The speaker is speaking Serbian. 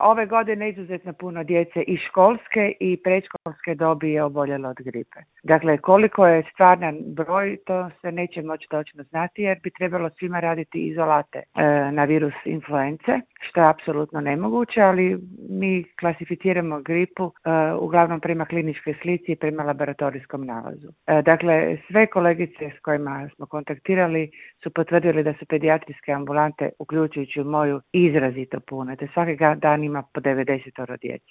Ove godine izuzetno puno djece i školske i predškolske dobi je oboljelo od gripe. Dakle, koliko je stvaran broj, to se neće moći točno znati jer bi trebalo svima raditi izolate na virus influence, što je apsolutno nemoguće, ali mi klasificiramo gripu uglavnom prema kliničkoj slici i prema laboratorijskom nalazu. Dakle, sve kolegice s kojima smo kontaktirali su potvrdili da su pedijatrijske ambulante, uključujući moju, izrazito pune, te svaki dan ima po 90 djece.